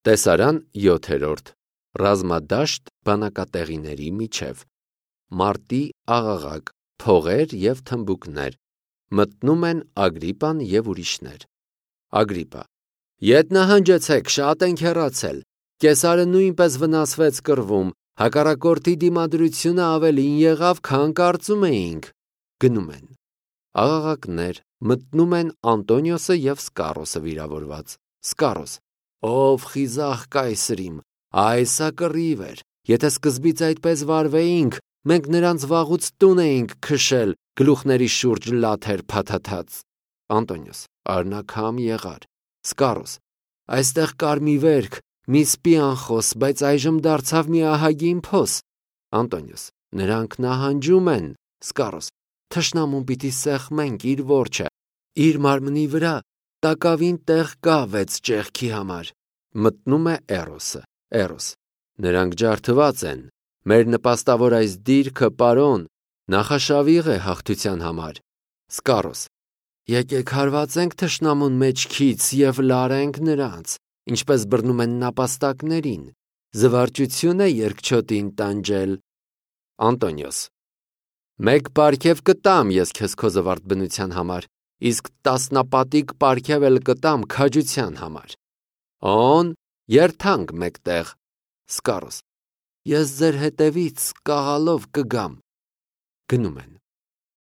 Տեսարան 7-րդ Ռազմադաշտ բանակատեղիների միջև Մարտի աղաղակ, փողեր և թմբուկներ, մտնում են Ագրիպան և ուրիշներ։ Ագրիպա. Ետ նահանջեցեք, շատ ենք հեռացել, Կեսարը նույնպես վնասվեց կռվում, հակառակորդի դիմադրությունը ավելին եղավ, քան կարծում էինք։ Գնում են։ Աղաղակներ, մտնում են Անտոնիոսը և Սկարոսը վիրավորված։ Սկարոս. Ով խիզախ կայսրիմ, այսա կռիվ էր, եթե սկզբից այդպես վարվեինք, մենք նրանց վաղուց տուն էինք քշել, գլուխների շուրջ լաթեր փաթաթած։ Անտոնիոս. Արնակամ եղար։ Սկարոս. այստեղ կար մի վերք, մի սպի անխոս, բայց այժմ դարձավ մի ահագին փոս։ Անտոնիոս. նրանք նահանջում են։ Սկարոս. թշնամուն պիտի սեղմենք իր որջը, իր մարմնի վրա տակավին տեղ կա 6 ճեղքի համար։ Մտնում է Էրոսը։ Էրոս. նրանք ջարդված են, մեր նպաստավոր այս դիրքը, պարոն, նախաշավիղ է հաղթության համար։ Սկարոս. եկեք հարվածենք թշնամուն մեջքից և լարենք նրանց, ինչպես բռնում են նապաստակներին, զվարճություն է երկչոտին տանջել։ Անտոնիոս. մեկ պարգև կտամ ես քեզ քո զվարթ բնության համար, իսկ 10 պարգև էլ կտամ քաջության համար։ Օն, երթանք մեկտեղ։ Սկարոս. ես ձեր հետևից կաղալով կգամ։ Գնում են։